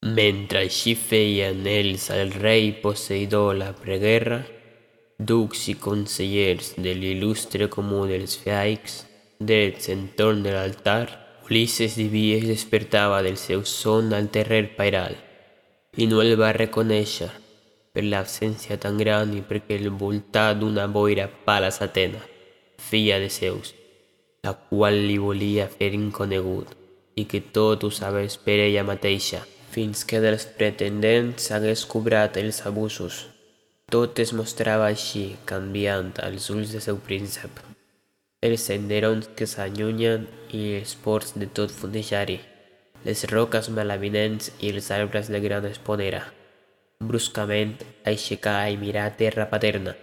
Mentre així feien ells al rei Poseidó la preguerra, ducs i consellers de l'il·lustre comú dels feaics, drets entorn de l'altar, Ulisses Diví es despertava del seu son al terrer pairal, i no el va reconèixer per l'absència tan gran i perquè el voltà d'una boira Palas Atena, filla de Zeus, la qual li volia fer inconegut i que tot ho sabés per ella mateixa, fins que dels pretendents hagués cobrat els abusos. Tot es mostrava així, canviant als ulls del seu príncep. Els senderons que s'allunyen i els ports de tot fondejar-hi, les roques malavinents i els arbres de gran esponera. Bruscament aixecar i mirar terra paterna,